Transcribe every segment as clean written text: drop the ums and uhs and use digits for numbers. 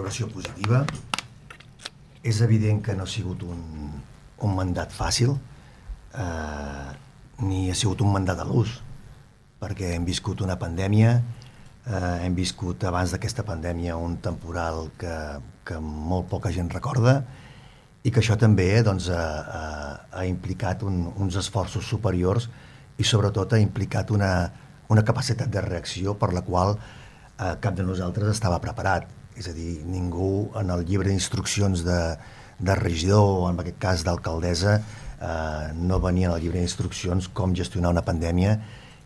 valoració positiva. És evident que no ha sigut un mandat fàcil, ni ha sigut un mandat a l'ús, perquè hem viscut una pandèmia, hem viscut abans d'aquesta pandèmia un temporal que molt poca gent recorda, i que això també ha implicat uns esforços superiors i sobretot ha implicat una capacitat de reacció per la qual cap de nosaltres estava preparat. És a dir, ningú en el llibre d'instruccions de regidor, o en aquest cas d'alcaldessa, no venia en el llibre d'instruccions com gestionar una pandèmia,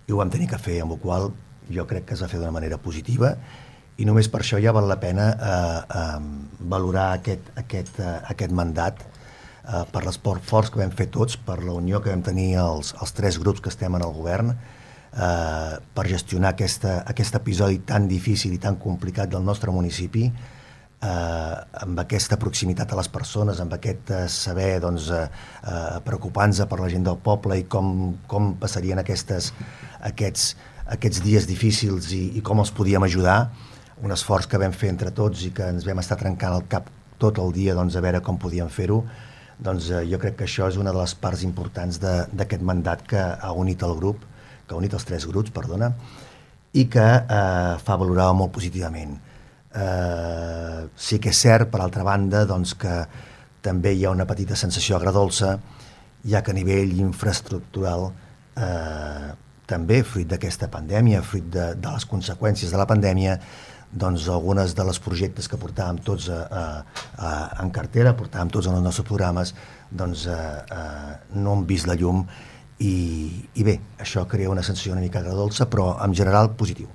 i ho vam tenir que fer, amb la qual jo crec que es va fer d'una manera positiva, i només per això ja val la pena valorar aquest mandat per l'esforç que vam fer tots, per la unió que vam tenir els tres grups que estem en el govern, per gestionar aquest episodi tan difícil i tan complicat del nostre municipi, amb aquesta proximitat a les persones, amb aquest saber preocupant-se per la gent del poble i com passarien aquests dies difícils i com els podíem ajudar. Un esforç que vam fer entre tots i que ens vam estar trencant el cap tot el dia a veure com podíem fer-ho. Jo crec que això és una de les parts importants d'aquest mandat que ha unit el grup, que ha unit els tres grups, i que fa valorar molt positivament. Sí que és cert, per altra banda, que també hi ha una petita sensació agredolça, ja que a nivell infraestructural, també fruit d'aquesta pandèmia, fruit de les conseqüències de la pandèmia, algunes de les projectes que portàvem tots en cartera, portàvem tots en els nostres programes, no han vist la llum, i bé, això crea una sensació una mica agredolça, però en general positiu.